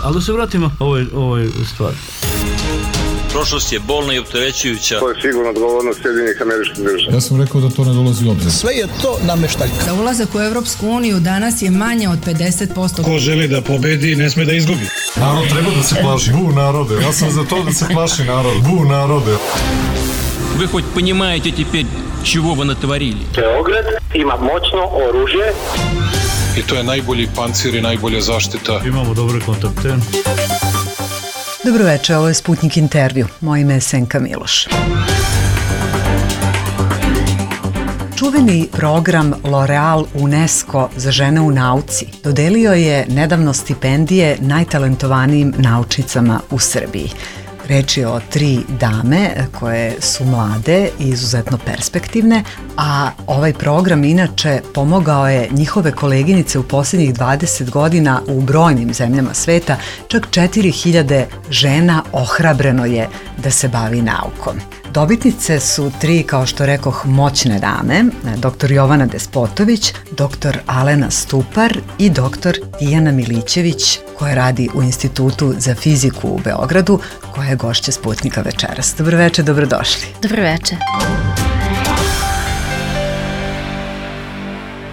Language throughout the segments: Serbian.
Ali da se vratimo ovoj stvari. Prošlost je bolna i opterećujuća. To je sigurno odgovornost Sjedinjenih Američkih Država. Ja sam rekao da to ne dolazi u obzir. Sve je to nameštaljka. Za ulazak u Evropsku uniju danas je manje od 50%. Ko želi da pobedi, ne sme da izgubi. Narod treba da se plaši. Bu narode. Ja sam za to da se plaši narod. Bu narode. Вы хоть понимаете теперь, чего вы натворили? Beograd ima moćno oružje. I to je najbolji pancir i najbolja zaštita. Imamo dobre kontakte. Dobroveče, ovo je Sputnik intervju. Moje ime je Senka Miloš. Čuveni program L'Oreal UNESCO za žene u nauci dodelio je nedavno stipendije najtalentovanijim naučnicama u Srbiji. Reč je o 3 dame koje su mlade i izuzetno perspektivne, a ovaj program inače pomogao je njihove koleginice u posljednjih 20 godina u brojnim zemljama sveta. Čak 4000 žena ohrabreno je da se bavi naukom. Dobitnice su 3, kao što rekoh, moćne dame, dr. Jovana Despotović, dr. Alena Stupar i dr. Tijana Milićević, koja radi u Institutu za fiziku u Beogradu, koja je gošća Sputnika večeras. Dobroveče, dobrodošli. Dobroveče.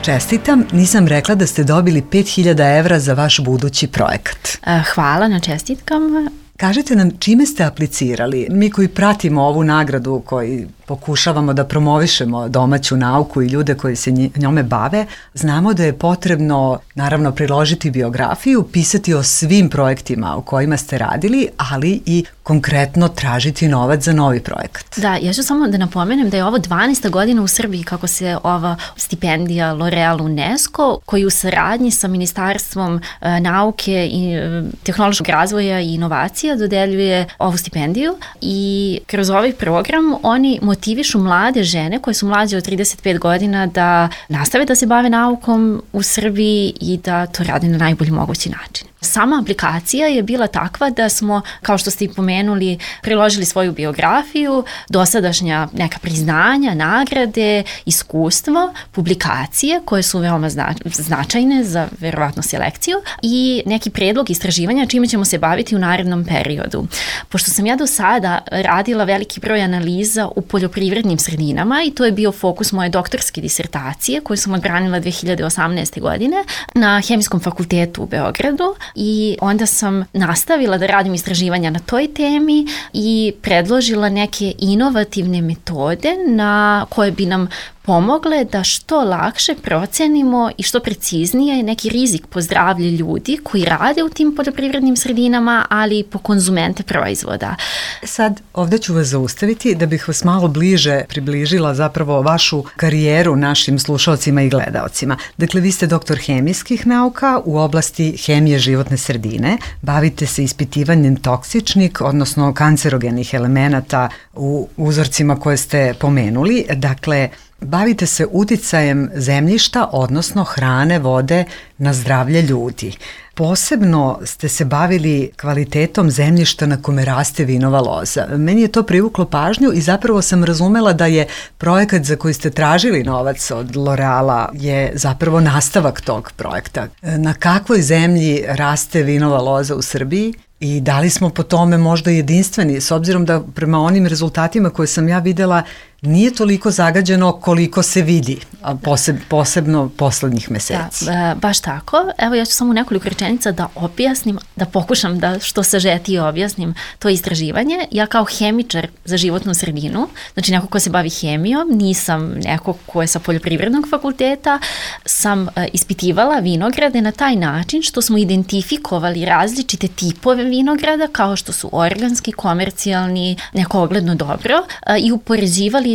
Čestitam, nisam rekla da ste dobili 5000 evra za vaš budući projekat. Hvala na čestitkama. Kažite nam čime ste aplicirali? Mi koji pratimo ovu nagradu, koji pokušavamo da promovišemo domaću nauku i ljude koji se njome bave, znamo da je potrebno, naravno, priložiti biografiju, pisati o svim projektima u kojima ste radili, ali i konkretno tražiti novac za novi projekat. Da, ja ću samo da napomenem da je ovo 12. godina u Srbiji kako se ova stipendija L'Oreal UNESCO, koji u saradnji sa Ministarstvom nauke i tehnološkog razvoja i inovacija dodeljuje ovu stipendiju i kroz ovaj program oni motivišu mlade žene koje su mlađe od 35 godina da nastave da se bave naukom u Srbiji i da to rade na najbolji mogući način. Sama aplikacija je bila takva da smo, kao što ste i pomenuli, priložili svoju biografiju, dosadašnja neka priznanja, nagrade, iskustvo, publikacije koje su veoma značajne za verovatno selekciju i neki predlog istraživanja čime ćemo se baviti u narednom periodu. Pošto sam ja do sada radila veliki broj analiza u poljoprivrednim sredinama i to je bio fokus moje doktorske disertacije koju sam odbranila 2018. godine na Hemijskom fakultetu u Beogradu. I onda sam nastavila da radim istraživanja na toj temi i predložila neke inovativne metode na koje bi nam pomogle da što lakše procenimo i što preciznije neki rizik po zdravlje ljudi koji rade u tim poljoprivrednim sredinama, ali i po konzumente proizvoda. Sad, ovdje ću vas zaustaviti da bih vas malo bliže približila zapravo vašu karijeru našim slušalcima i gledaocima. Dakle, vi ste doktor hemijskih nauka u oblasti hemije životne sredine, bavite se ispitivanjem toksičnih, odnosno kancerogenih elemenata u uzorcima koje ste pomenuli. Dakle, bavite se uticajem zemljišta, odnosno hrane, vode na zdravlje ljudi. Posebno ste se bavili kvalitetom zemljišta na kome raste vinova loza. Meni je to privuklo pažnju i zapravo sam razumela da je projekat za koji ste tražili novac od L'Oreala je zapravo nastavak tog projekta. Na kakvoj zemlji raste vinova loza u Srbiji? I da li smo po tome možda jedinstveni, s obzirom da prema onim rezultatima koje sam ja videla nije toliko zagađeno koliko se vidi, posebno poslednjih meseci. Da, baš tako. Evo ja ću samo nekoliko rečenica da objasnim, da pokušam da što sažetije objasnim to istraživanje. Ja kao hemičar za životnu sredinu, znači neko ko se bavi hemijom, nisam neko ko je sa poljoprivrednog fakulteta, sam ispitivala vinograde na taj način što smo identifikovali različite tipove vinograda kao što su organski, komercijalni, neko ogledno dobro i upoređivali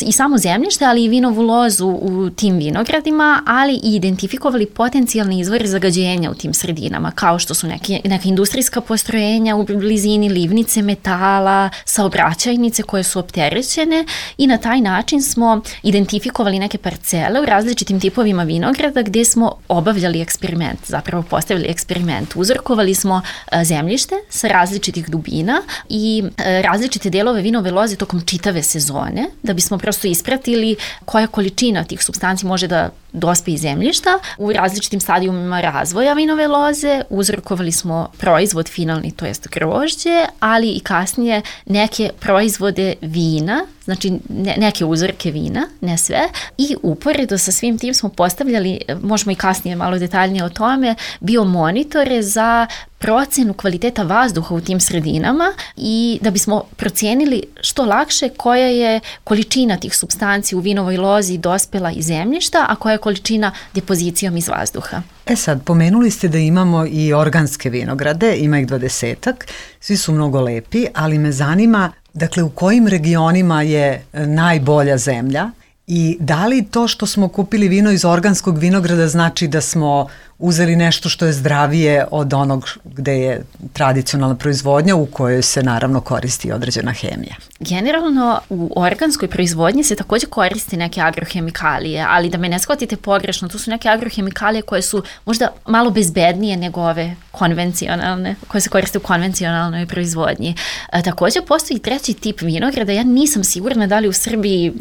i samo zemljište, ali i vinovu lozu u tim vinogradima, ali i identifikovali potencijalne izvore zagađenja u tim sredinama, kao što su neka industrijska postrojenja u blizini, livnice metala, saobraćajnice koje su opterećene i na taj način smo identifikovali neke parcele u različitim tipovima vinograda gdje smo obavljali eksperiment, zapravo postavili eksperiment. Uzorkovali smo zemljište sa različitih dubina i različite delove vinove loze tokom čitave sezone da bismo prosto ispratili koja količina tih supstanci može da dospe iz zemljišta. U različitim stadijumima razvoja vinove loze uzrokovali smo proizvod finalni, to jest grožđe, ali i kasnije neke proizvode vina, znači neke uzorke vina, ne sve, i uporedo sa svim tim smo postavljali, možemo i kasnije malo detaljnije o tome, biomonitore za procenu kvaliteta vazduha u tim sredinama i da bismo procijenili što lakše koja je količina tih supstanci u vinovoj lozi dospela iz zemljišta, a koja je količina depozicijom iz vazduha. Sad, pomenuli ste da imamo i organske vinograde, ima ih 20-ak, svi su mnogo lepi, ali me zanima, dakle, u kojim regionima je najbolja zemlja i da li to što smo kupili vino iz organskog vinograda znači da smo uzeli nešto što je zdravije od onog gde je tradicionalna proizvodnja u kojoj se naravno koristi određena hemija? Generalno u organskoj proizvodnji se takođe koristi neke agrohemikalije, ali da me ne shvatite pogrešno, to su neke agrohemikalije koje su možda malo bezbednije nego ove konvencionalne, koje se koriste u konvencionalnoj proizvodnji. Takođe postoji treći tip vinograda, ja nisam sigurna da li u Srbiji,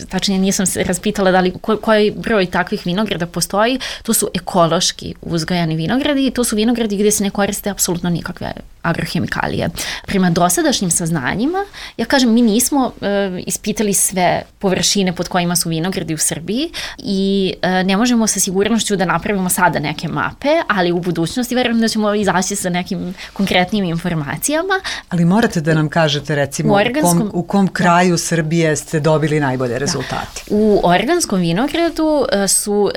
tačnije nisam se raspitala da li koji broj takvih vinograda postoji, to su ekološki uzgajani vinogradi i to su vinogradi gdje se ne koriste apsolutno nikakve agrohemikalije. Prema dosadašnjim saznanjima, ja kažem, mi nismo ispitali sve površine pod kojima su vinogradi u Srbiji i ne možemo sa sigurnošću da napravimo sada neke mape, ali u budućnosti verujem da ćemo izaći sa nekim konkretnim informacijama. Ali morate da nam kažete recimo u kom kraju Srbije ste dobili najbolje rezultate. U organskom vinogradu su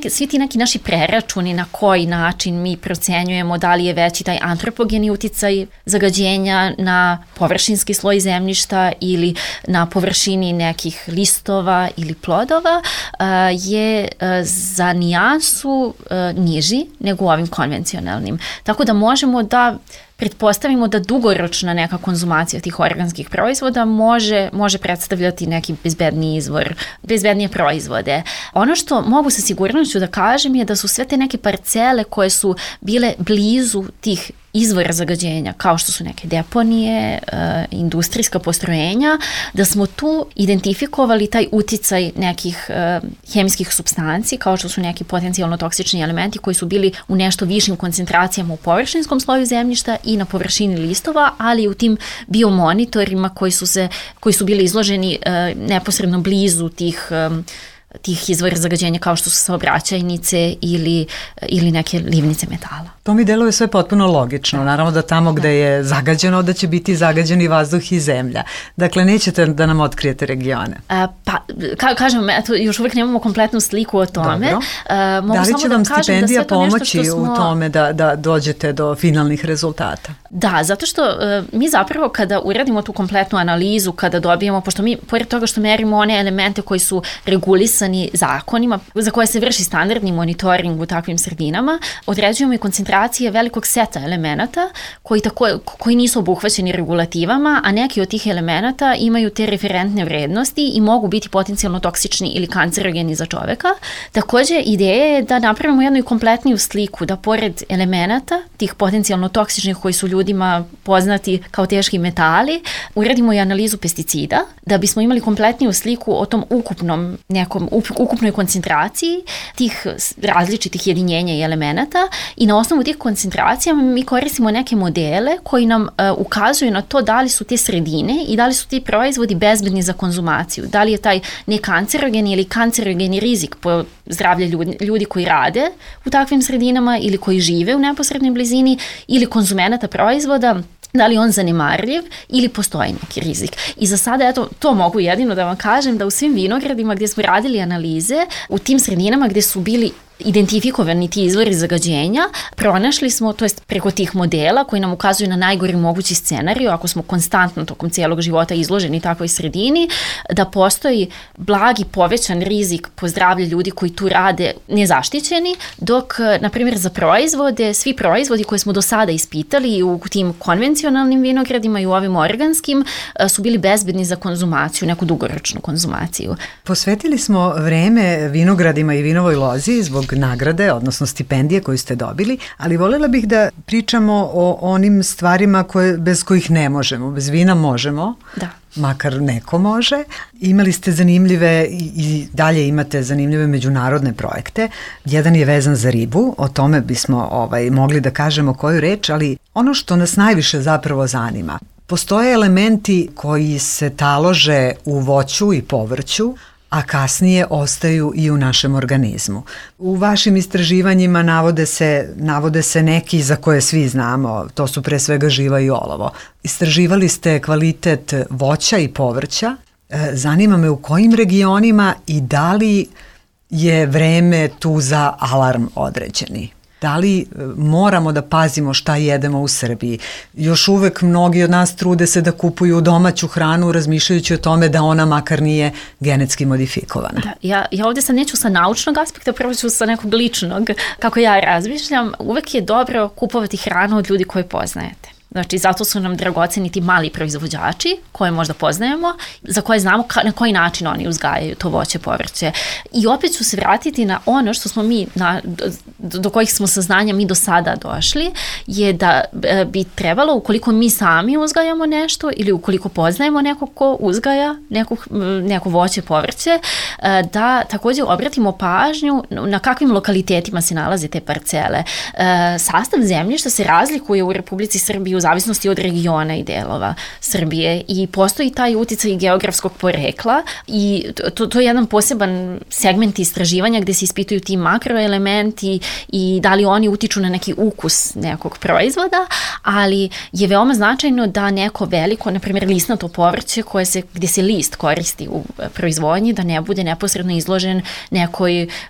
svi ti neki naši preračuni na koji način mi procenjujemo da li je veći taj antropogeni uticaj zagađenja na površinski sloj zemljišta ili na površini nekih listova ili plodova je za nijansu niži nego u ovim konvencionalnim. Tako da možemo da pretpostavimo da dugoročna neka konzumacija tih organskih proizvoda može predstavljati neki bezbedniji izvor, bezbednije proizvode. Ono što mogu sa sigurnošću da kažem je da su sve te neke parcele koje su bile blizu tih izvora zagađenja, kao što su neke deponije, industrijska postrojenja, da smo tu identifikovali taj uticaj nekih hemijskih supstanci, kao što su neki potencijalno toksični elementi koji su bili u nešto višim koncentracijama u površinskom sloju zemljišta i na površini listova, ali i u tim biomonitorima koji su bili izloženi neposredno blizu tih izvora zagađenja kao što su saobraćajnice ili neke livnice metala. To mi deluje sve potpuno logično. Naravno da tamo gde je zagađeno da će biti zagađeni vazduh i zemlja. Dakle, nećete da nam otkrijete regione. Kažem, eto, još uvijek nemamo kompletnu sliku o tome. Da li će vam stipendija pomoći u tome da dođete do finalnih rezultata? Da, zato što mi zapravo kada uradimo tu kompletnu analizu, kada dobijemo, pošto mi, pored toga što merimo one elemente koji su regulisani zakonima, za koje se vrši standardni monitoring u takvim sredinama, određujemo i koncentracije velikog seta elemenata koji nisu obuhvaćeni regulativama, a neki od tih elemenata imaju te referentne vrednosti i mogu biti potencijalno toksični ili kancerogeni za čoveka. Također, ideja je da napravimo jednu i kompletniju sliku, da pored elemenata, tih potencijalno toksičnih koji su ljudima poznati kao teški metali, uradimo i analizu pesticida, da bismo imali kompletniju sliku o tom ukupnoj koncentraciji tih različitih jedinjenja i elemenata i na osnovu tih koncentracija mi koristimo neke modele koji nam ukazuju na to da li su te sredine i da li su ti proizvodi bezbedni za konzumaciju, da li je taj nekancerogeni ili kancerogeni rizik po zdravlje ljudi koji rade u takvim sredinama ili koji žive u neposrednoj blizini ili konzumenata proizvoda, da li on zanemarljiv ili postoji neki rizik. I za sada, eto, to mogu jedino da vam kažem, da u svim vinogradima gdje smo radili analize, u tim sredinama gdje su bili identifikovani ti izvori zagađenja, pronašli smo, to jest preko tih modela koji nam ukazuju na najgori mogući scenariju, ako smo konstantno tokom cijelog života izloženi takvoj sredini, da postoji blagi povećan rizik po zdravlje ljudi koji tu rade nezaštićeni, dok, na primjer, za proizvode, svi proizvodi koje smo do sada ispitali u tim konvencionalnim vinogradima i u ovim organskim su bili bezbedni za konzumaciju, neku dugoročnu konzumaciju. Posvetili smo vreme vinogradima i vinovoj lozi zbog nagrade, odnosno stipendije koju ste dobili, ali voljela bih da pričamo o onim stvarima bez kojih ne možemo. Bez vina možemo, makar neko može. Imali ste zanimljive i dalje imate zanimljive međunarodne projekte. Jedan je vezan za ribu, o tome bismo mogli da kažemo koju reč, ali ono što nas najviše zapravo zanima, postoje elementi koji se talože u voću i povrću, a kasnije ostaju i u našem organizmu. U vašim istraživanjima navode se neki za koje svi znamo, to su pre svega živa i olovo. Istraživali ste kvalitet voća i povrća. Zanima me u kojim regionima i da li je vreme tu za alarm određeni? Da li moramo da pazimo šta jedemo u Srbiji? Još uvek mnogi od nas trude se da kupuju domaću hranu razmišljajući o tome da ona makar nije genetski modifikovana. Da, ja ovdje sad neću sa naučnog aspekta, prvo ću sa nekog ličnog, kako ja razmišljam. Uvek je dobro kupovati hranu od ljudi koje poznajete. Znači, zato su nam dragoceni ti mali proizvođači koje možda poznajemo, za koje znamo na koji način oni uzgajaju to voće, povrće. I opet ću se vratiti na ono što smo mi, do kojih smo saznanja mi do sada došli, je da bi trebalo, ukoliko mi sami uzgajamo nešto ili ukoliko poznajemo nekog ko uzgaja neko voće, povrće, da također obratimo pažnju na kakvim lokalitetima se nalaze te parcele. Sastav zemljišta se razlikuje u Republici Srbiji u zavisnosti od regiona i delova Srbije i postoji taj uticaj geografskog porekla i to je jedan poseban segment istraživanja gde se ispituju ti makroelementi i da li oni utiču na neki ukus nekog proizvoda, ali je veoma značajno da neko veliko, na primjer lisnato povrće gdje se list koristi u proizvodnji, da ne bude neposredno izložen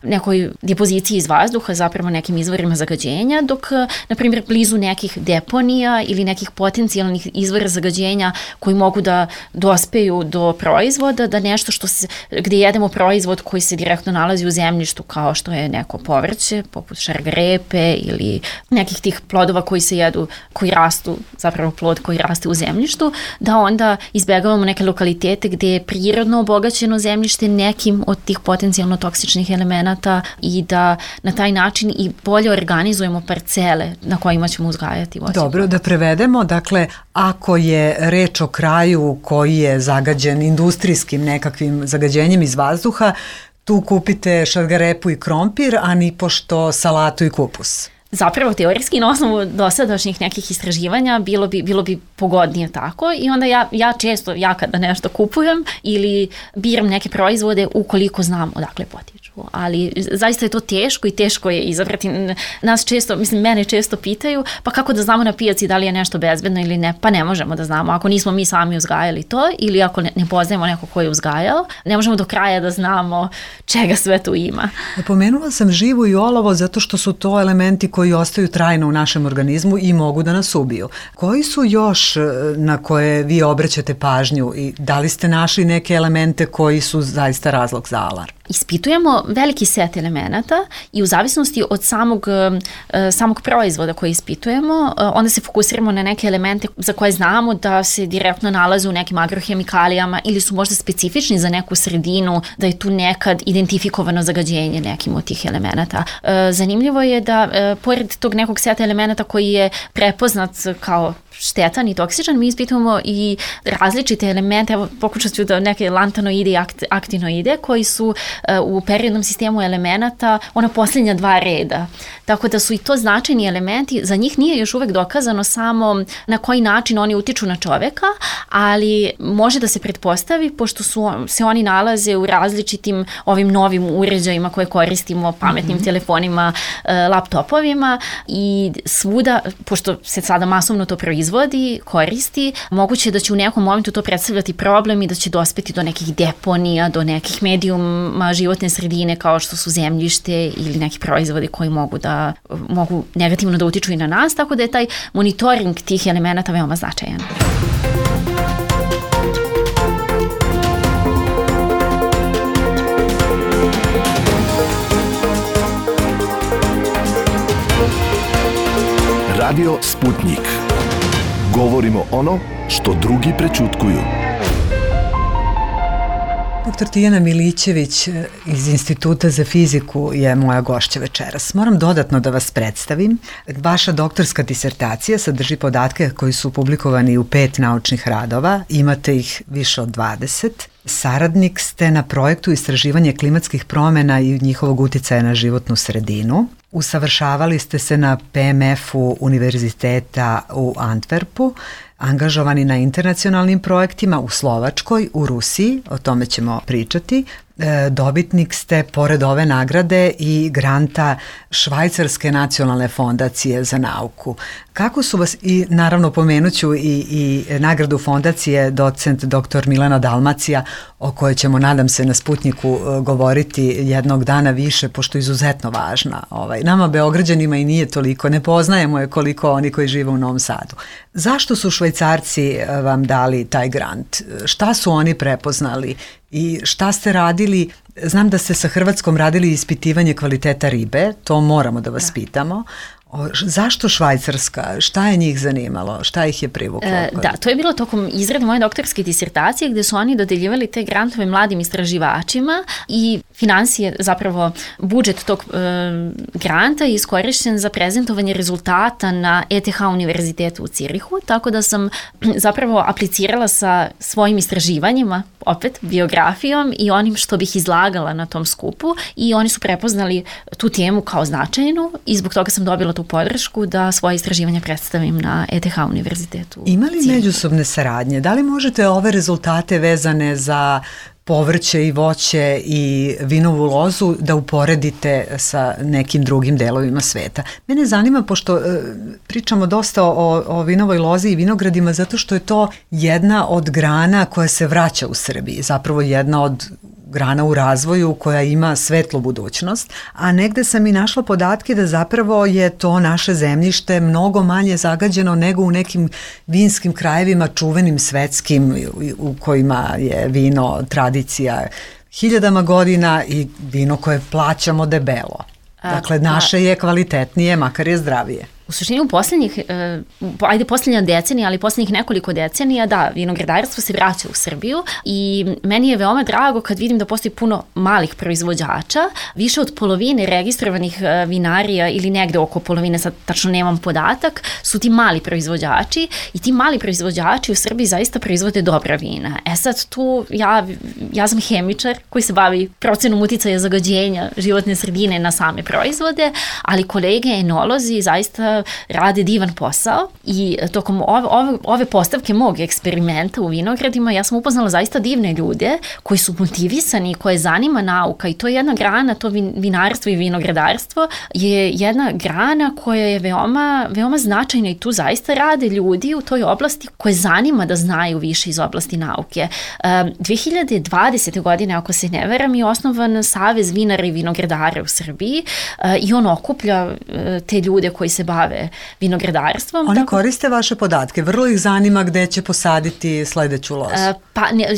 nekoj depoziciji iz vazduha, zapravo nekim izvorima zagađenja, dok, na primjer, blizu nekih deponija ili nekih potencijalnih izvora zagađenja koji mogu da dospeju do proizvoda, da nešto gdje jedemo proizvod koji se direktno nalazi u zemljištu, kao što je neko povrće, poput šargarepe ili nekih tih plodova koji se jedu, koji rastu, zapravo plod koji raste u zemljištu, da onda izbegavamo neke lokalitete gdje je prirodno obogaćeno zemljište nekim od tih potencijalno toksičnih elemenata i da na taj način i bolje organizujemo parcele na kojima ćemo uzgajati voće. Dobro, da prevedemo, dakle, ako je reč o kraju koji je zagađen industrijskim nekakvim zagađenjem iz vazduha, tu kupite šargarepu i krompir, a nipošto salatu i kupus. Zapravo, teorijski na osnovu dosadašnjih nekih istraživanja bilo bi pogodnije tako i onda ja kada nešto kupujem ili biram neke proizvode ukoliko znam odakle potiču. Ali zaista je to teško i teško je izabrati. Mene često pitaju, pa kako da znamo na pijaci da li je nešto bezbedno ili ne? Pa ne možemo da znamo. Ako nismo mi sami uzgajali to ili ako ne poznajemo neko ko je uzgajao, ne možemo do kraja da znamo čega sve tu ima. Pomenula sam živu i olovo zato što su to elementi koji ostaju trajno u našem organizmu i mogu da nas ubiju. Koji su još na koje vi obraćate pažnju i da li ste našli neke elemente koji su zaista razlog za alarm? Ispitujemo veliki set elemenata i u zavisnosti od samog proizvoda koji ispitujemo, onda se fokusiramo na neke elemente za koje znamo da se direktno nalaze u nekim agrohemikalijama ili su možda specifični za neku sredinu, da je tu nekad identifikovano zagađenje nekim od tih elemenata. Zanimljivo je da pored tog nekog seta elemenata koji je prepoznat kao štetan i toksičan, mi ispitujemo i različite elemente, evo pokušat ću da neke lantanoide i aktinoide koji su u periodnom sistemu elemenata ona posljednja dva reda. Tako da su i to značajni elementi, za njih nije još uvek dokazano samo na koji način oni utiču na čoveka, ali može da se pretpostavi, pošto se oni nalaze u različitim ovim novim uređajima koje koristimo, pametnim telefonima, laptopovima i svuda, pošto se sada masovno to proizvodi, koristi, moguće je da će u nekom momentu to predstavljati problem i da će dospeti do nekih deponija, do nekih medijuma životne sredine kao što su zemljište ili neki proizvodi koji mogu negativno da utiču i na nas, tako da je taj monitoring tih elemenata veoma značajan. Radio Sputnik. Govorimo ono što drugi prećutkuju. Dr. Tijana Milićević iz Instituta za fiziku je moja gošća večeras. Moram dodatno da vas predstavim. Vaša doktorska disertacija sadrži podatke koji su publikovani u 5 naučnih radova. Imate ih više od 20. Saradnik ste na projektu istraživanja klimatskih promjena i njihovog uticaja na životnu sredinu. Usavršavali ste se na PMF-u Univerziteta u Antwerpu, angažovani na internacionalnim projektima u Slovačkoj, u Rusiji, o tome ćemo pričati. Dobitnik ste, pored ove nagrade, i granta Švajcarske nacionalne fondacije za nauku. Kako su vas, i naravno pomenuću i nagradu fondacije docent dr. Milena Dalmacija, o kojoj ćemo, nadam se, na Sputniku govoriti jednog dana više, pošto je izuzetno važna. Nama Beograđanima i nije toliko, ne poznajemo je koliko oni koji žive u Novom Sadu. Zašto su Švajcarci vam dali taj grant? Šta su oni prepoznali i šta ste radili? Znam da ste sa Hrvatskom radili ispitivanje kvaliteta ribe, to moramo da vas pitamo. Zašto Švajcarska? Šta je njih zanimalo? Šta ih je privuklo? Da, to je bilo tokom izrade moje doktorske disertacije gde su oni dodeljivali te grantove mladim istraživačima i finansije, zapravo budžet tog granta je iskorišćen za prezentovanje rezultata na ETH univerzitetu u Cirihu, tako da sam zapravo aplicirala sa svojim istraživanjima, opet biografijom i onim što bih izlagala na tom skupu, i oni su prepoznali tu temu kao značajnu i zbog toga sam dobila tu podršku da svoje istraživanja predstavim na ETH univerzitetu. Ima li međusobne saradnje? Da li možete ove rezultate vezane za povrće i voće i vinovu lozu da uporedite sa nekim drugim delovima sveta? Mene zanima, pošto pričamo dosta o vinovoj lozi i vinogradima, zato što je to jedna od grana koja se vraća u Srbiji, zapravo jedna od grana u razvoju koja ima svetlu budućnost, a negde sam i našla podatke da zapravo je to naše zemljište mnogo manje zagađeno nego u nekim vinskim krajevima, čuvenim svetskim, u kojima je vino tradicija hiljadama godina i vino koje plaćamo debelo. Dakle, naše je kvalitetnije, makar je zdravije. U suštini u posljednja decenija, ali posljednjih nekoliko decenija, da, vinogradarstvo se vraća u Srbiju i meni je veoma drago kad vidim da postoji puno malih proizvođača, više od polovine registrovanih vinarija ili negde oko polovine, sad tačno nemam podatak, su ti mali proizvođači i ti mali proizvođači u Srbiji zaista proizvode dobra vina. Sad tu ja sam hemičar koji se bavi procenom uticaja zagađenja životne sredine na same proizvode, ali kolege enolozi zaista rade divan posao i tokom ove postavke mog eksperimenta u vinogradima ja sam upoznala zaista divne ljude koji su motivisani, koje zanima nauka, i to je jedna grana, to vinarstvo i vinogradarstvo je jedna grana koja je veoma značajna i tu zaista rade ljudi u toj oblasti koje zanima da znaju više iz oblasti nauke. 2020. godine, ako se ne veram, je osnovan Savez vinara i vinogradara u Srbiji i on okuplja te ljude koji se bave vinogradarstvom. Oni koriste vaše podatke, vrlo ih zanima gde će posaditi sledeću lozu.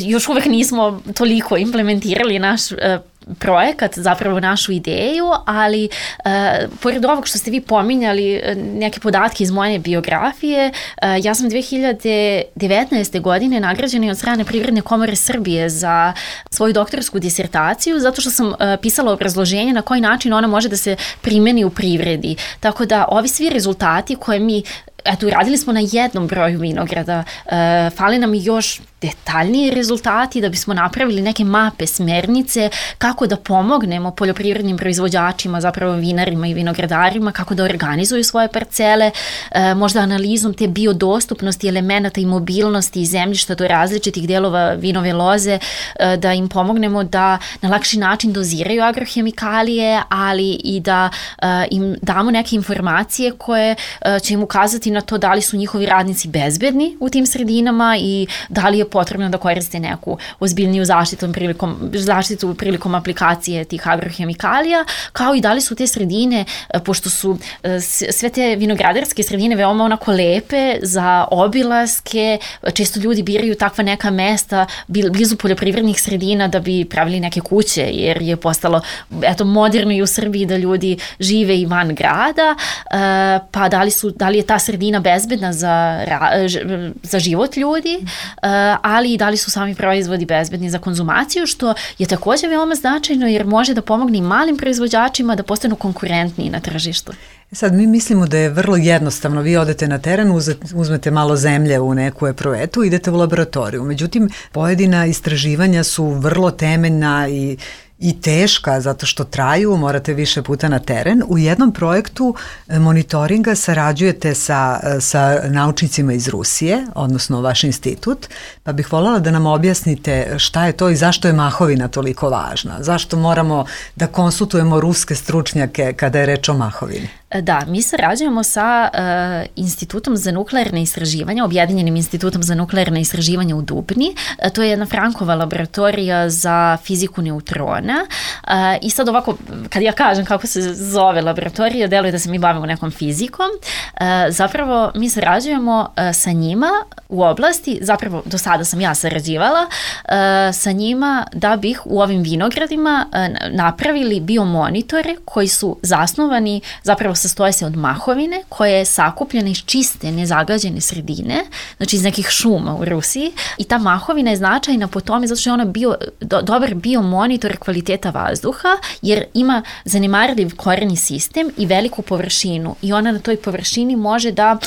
Još uvek nismo toliko implementirali naš projekat, zapravo našu ideju, ali pored ovog što ste vi pominjali, neke podatke iz moje biografije, ja sam 2019. godine nagrađena od strane Privredne komore Srbije za svoju doktorsku disertaciju, zato što sam pisala obrazloženje na koji način ona može da se primeni u privredi. Tako da ovi svi rezultati koje mi uradili smo na jednom broju vinograda, fali nam još detaljniji rezultati da bismo napravili neke mape, smernice, kako da pomognemo poljoprivrednim proizvođačima, zapravo vinarima i vinogradarima, kako da organizuju svoje parcele, možda analizom te biodostupnosti elemenata i mobilnosti i zemljišta do različitih delova vinove loze, da im pomognemo da na lakši način doziraju agrohemikalije, ali i da im damo neke informacije koje će im ukazati na to da li su njihovi radnici bezbedni u tim sredinama i da li je potrebno da koriste neku ozbiljniju zaštitu prilikom aplikacije tih agrohemikalija, kao i da li su te sredine, pošto su sve te vinogradarske sredine veoma onako lepe za obilaske, često ljudi biraju takva neka mesta blizu poljoprivrednih sredina da bi pravili neke kuće, jer je postalo moderno i u Srbiji da ljudi žive i van grada, pa da li je ta sredina bezbedna za život ljudi, ali i da li su sami proizvodi bezbedni za konzumaciju, što je takođe veoma značajno jer može da pomogne i malim proizvođačima da postanu konkurentniji na tržištu. Sad mi mislimo da je vrlo jednostavno, vi odete na teren, uzmete malo zemlje u neku eprovetu, idete u laboratoriju. Međutim, pojedina istraživanja su vrlo temeljna i teška zato što traju, morate više puta na teren. U jednom projektu monitoringa sarađujete sa naučnicima iz Rusije, odnosno vaš institut, pa bih voljela da nam objasnite šta je to i zašto je mahovina toliko važna. Zašto moramo da konsultujemo ruske stručnjake kada je reč o mahovini? Da, mi sarađujemo sa Institutom za nuklearne istraživanja, Objedinjenim institutom za nuklearne istraživanja u Dubni. To je jedna Frankova laboratorija za fiziku neutrona. I sad ovako, kad ja kažem kako se zove laboratorija, deluje da se mi bavimo nekom fizikom. Zapravo, mi sarađujemo sa njima u oblasti, zapravo do sada sam ja sarađivala sa njima da bih u ovim vinogradima napravili biomonitore koji su zasnovani, zapravo sastoje se od mahovine koja je sakupljena iz čiste, nezagađene sredine, znači iz nekih šuma u Rusiji, i ta mahovina je značajna po tome zato što je ona dobar biomonitor kvaliteta vazduha, jer ima zanemarljiv koreni sistem i veliku površinu i ona na toj površini može da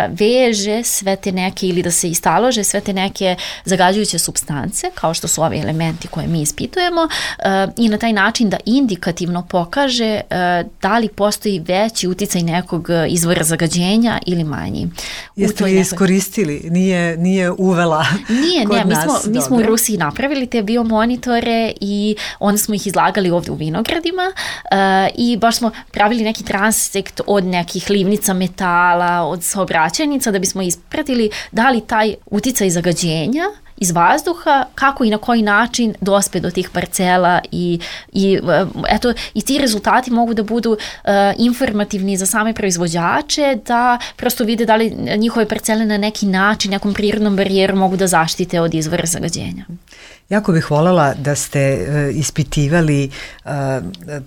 veže sve te neke ili da se istalože sve te neke zagađujuće supstance, kao što su ovi elementi koje mi ispitujemo, i na taj način da indikativno pokaže da li postoji veći uticaj nekog izvora zagađenja ili manji. Jeste li iskoristili? Nije uvela kod nas? Mi smo u Rusiji napravili te biomonitore i onda smo ih izlagali ovde u vinogradima i baš smo pravili neki transekt od nekih livnica metala, od saobraćajnica da bismo ispratili da li taj uticaj zagađenja iz vazduha, kako i na koji način dospe do tih parcela i ti rezultati mogu da budu informativni za same proizvođače, da prosto vide da li njihove parcele na neki način, nekom prirodnom barijerom mogu da zaštite od izvora zagađenja. Jako bih voljela da ste ispitivali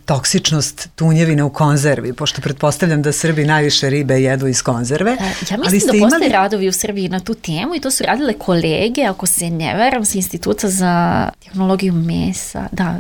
toksičnost tunjevine u konzervi, pošto pretpostavljam da Srbi najviše ribe jedu iz konzerve. Ja mislim da postoje radovi u Srbiji na tu temu i to su radile kolege, ako se ne varam, sa Instituta za tehnologiju mesa. Da,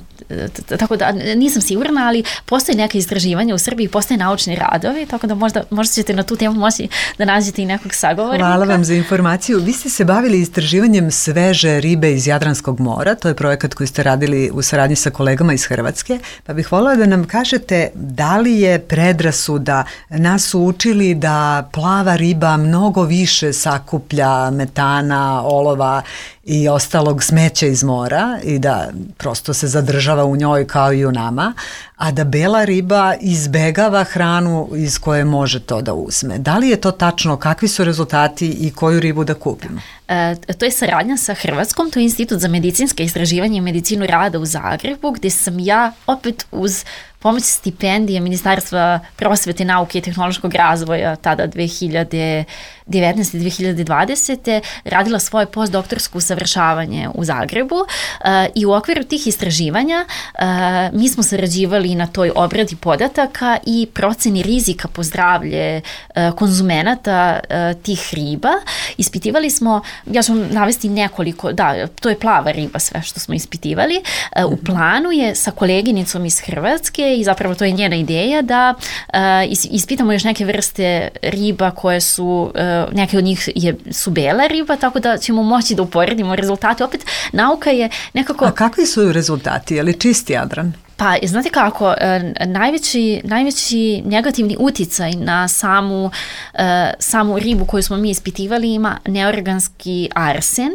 tako da nisam sigurna, ali postoje neke istraživanja u Srbiji, postoje naučni radovi, tako da možda ćete na tu temu moći da nađete i nekog sagovornika. Hvala vam za informaciju. Vi ste se bavili istraživanjem sveže ribe iz Jadranskog mora. To je projekat koji ste radili u saradnji sa kolegama iz Hrvatske, pa bih voljela da nam kažete da li je predrasuda, nas su učili da plava riba mnogo više sakuplja metana, olova i ostalog smeća iz mora i da prosto se zadržava u njoj kao i u nama, a da bela riba izbegava hranu iz koje može to da uzme. Da li je to tačno? Kakvi su rezultati i koju ribu da kupimo? To je saradnja sa Hrvatskom, to je Institut za medicinske istraživanje i medicinu rada u Zagrebu, gde sam ja opet uz pomoć stipendije Ministarstva prosvete, nauke i tehnološkog razvoja tada 2019-2020. radila svoje postdoktorsko usavršavanje u Zagrebu i u okviru tih istraživanja mi smo sarađivali na toj obradi podataka i proceni rizika po zdravlje konzumenata tih riba. Ispitivali smo, ja ću vam navesti nekoliko, da, to je plava riba sve što smo ispitivali. U planu je sa koleginicom iz Hrvatske i zapravo to je njena ideja da ispitamo još neke vrste riba koje su, neke od njih su bela riba, tako da ćemo moći da uporedimo rezultate. Opet, nauka je nekako... A kakvi su rezultati? Je li čisti Jadran? Pa, znate kako, najveći negativni uticaj na samu ribu koju smo mi ispitivali ima neorganski arsen,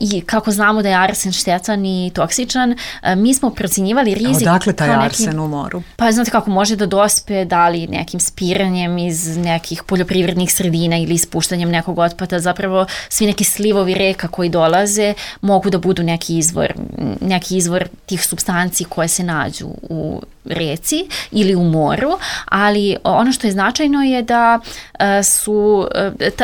i kako znamo da je arsen štetan i toksičan, mi smo procenjivali rizik... Odakle taj arsen u moru? Pa znate kako, može da dospe da li nekim spiranjem iz nekih poljoprivrednih sredina ili ispuštanjem nekog otpada, zapravo svi neki slivovi reka koji dolaze mogu da budu neki izvor tih supstanci koje se nađu u reci ili u moru, ali ono što je značajno je da su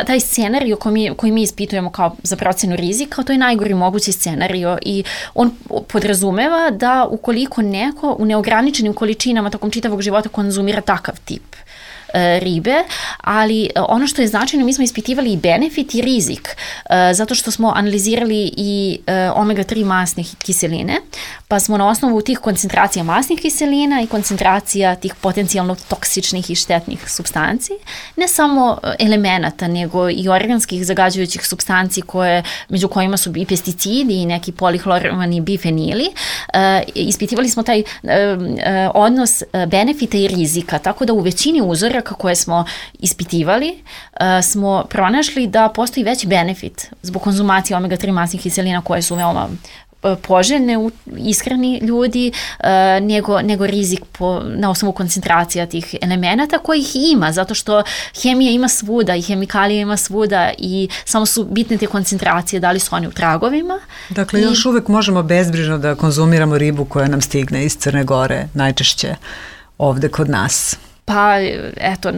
taj scenario koji mi ispitujemo kao za procenu rizika, to je najgori mogući scenario i on podrazumeva da ukoliko neko u neograničenim količinama tokom čitavog života konzumira takav tip ribe, ali ono što je značajno, mi smo ispitivali i benefit i rizik, zato što smo analizirali i omega-3 masnih kiseline, pa smo na osnovu tih koncentracija masnih kiselina i koncentracija tih potencijalno toksičnih i štetnih supstanci, ne samo elemenata, nego i organskih zagađujućih supstanci među kojima su i pesticidi i neki polihlorovani bifenili. Ispitivali smo taj odnos benefita i rizika, tako da u većini uzoraka koje smo ispitivali smo pronašli da postoji veći benefit zbog konzumacije omega-3 masnih kiselina koje su veoma poželjne u ishrani ljudi, nego rizik na osnovu koncentracija tih elemenata kojih ima, zato što hemija ima svuda i hemikalija ima svuda i samo su bitne te koncentracije, da li su oni u tragovima. Dakle, još uvek možemo bezbrižno da konzumiramo ribu koja nam stigne iz Crne Gore, najčešće ovde kod nas. Pa, eto,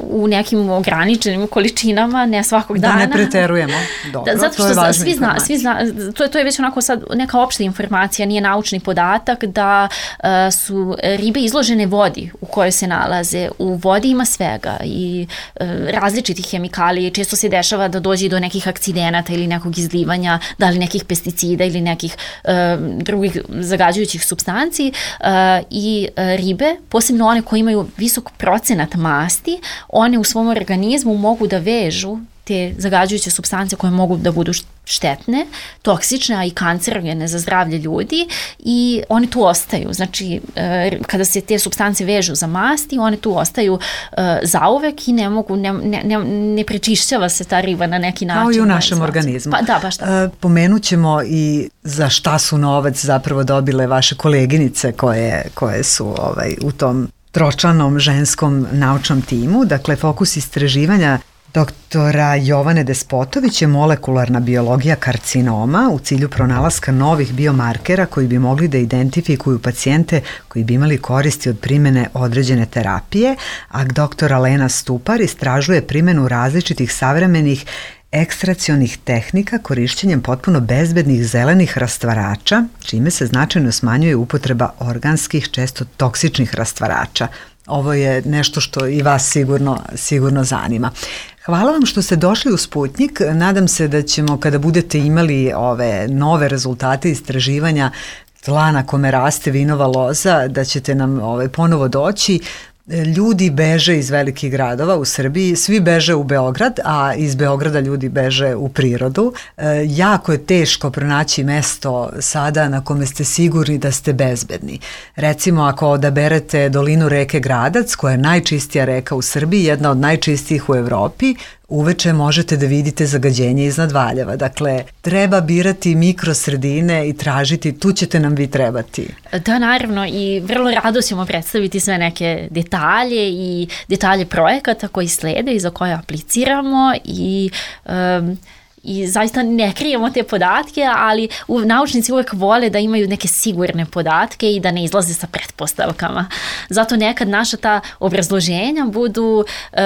u nekim ograničenim količinama, ne svakog dana. Da ne preterujemo. Dobro, zato što to je važna to je već onako sad neka opšta informacija, nije naučni podatak da su ribe izložene vodi u kojoj se nalaze. U vodi ima svega i različitih hemikalija. Često se dešava da dođe do nekih akcidenata ili nekog izlivanja, da li nekih pesticida ili nekih drugih zagađujućih supstanci i ribe, posebno one koje imaju visok procenat masti, one u svom organizmu mogu da vežu te zagađujuće supstance koje mogu da budu štetne, toksične, a i kancerogene za zdravlje ljudi i one tu ostaju. Znači, kada se te supstance vežu za masti, one tu ostaju zauvek i ne prečišćava se ta riba na neki način. Kao i u našem organizmu. Pa da, baš tako. Pomenut ćemo i za šta su novac zapravo dobile vaše koleginice koje su u tom tročlanom ženskom naučnom timu. Dakle, fokus istraživanja doktora Jovane Despotović je molekularna biologija karcinoma u cilju pronalaska novih biomarkera koji bi mogli da identifikuju pacijente koji bi imali koristi od primene određene terapije, a doktora Lena Stupar istražuje primenu različitih savremenih ekstracionih tehnika korišćenjem potpuno bezbednih zelenih rastvarača, čime se značajno smanjuje upotreba organskih, često toksičnih rastvarača. Ovo je nešto što i vas sigurno zanima. Hvala vam što ste došli u Sputnjik. Nadam se da ćemo, kada budete imali ove nove rezultate istraživanja tla na kome raste vinova loza, da ćete nam ponovo doći. Ljudi beže iz velikih gradova u Srbiji, svi beže u Beograd, a iz Beograda ljudi beže u prirodu. Jako je teško pronaći mesto sada na kome ste sigurni da ste bezbedni. Recimo, ako odaberete dolinu reke Gradac, koja je najčistija reka u Srbiji, jedna od najčistijih u Evropi, uveče možete da vidite zagađenje iznad Valjeva. Dakle, treba birati mikrosredine i tražiti, tu ćete nam vi trebati. Da, naravno, i vrlo rado ćemo predstaviti sve neke detalje i detalje projekata koji slede i za koje apliciramo i zaista ne krijemo te podatke, ali naučnici uvek vole da imaju neke sigurne podatke i da ne izlaze sa pretpostavkama. Zato nekad naša ta obrazloženja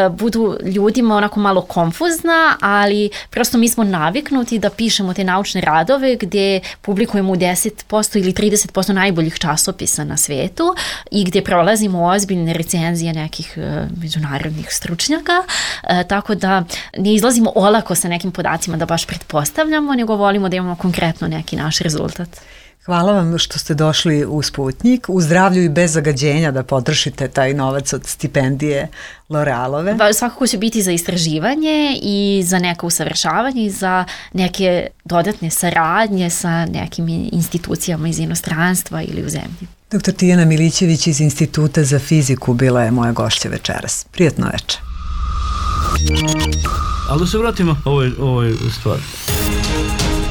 budu ljudima onako malo konfuzna, ali prosto mi smo naviknuti da pišemo te naučne radove gdje publikujemo u 10% ili 30% najboljih časopisa na svetu i gdje prolazimo ozbiljne recenzije nekih međunarodnih stručnjaka, tako da ne izlazimo olako sa nekim podacima da baš pretpostavljamo, nego volimo da imamo konkretno neki naš rezultat. Hvala vam što ste došli u Sputnjik, u zdravlju i bez zagađenja da potrošite taj novac od stipendije L'Orealove. Svakako će biti za istraživanje i za neko usavršavanje i za neke dodatne saradnje sa nekim institucijama iz inostranstva ili u zemlji. Dr. Tijana Milićević iz Instituta za fiziku bila je moja gošća večeras. Prijatno večer. Ali da se vratimo ovoj stvari.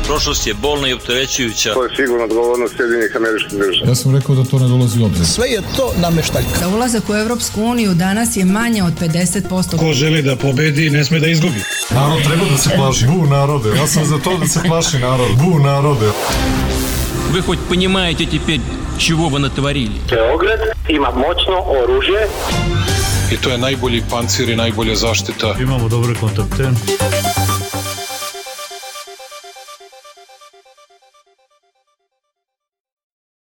Prošlost je bolna i opterećujuća. To je sigurno odgovornost Sjedinjenih Američkih Država. Ja sam rekao da to ne dolazi u obzir. Sve je to nameštaljka. Za ulazak u Evropsku uniju danas je manje od 50%. Ko želi da pobedi, ne sme da izgubi. Narod treba da se plaši. Bu narode. Ja sam za to da se plaši narod. Bu narode. Вы хоть понимаете теперь, чего вы натворили? Beograd ima moćno oružje. I to je najbolji pancir i najbolja zaštita. Imamo dobre kontakte.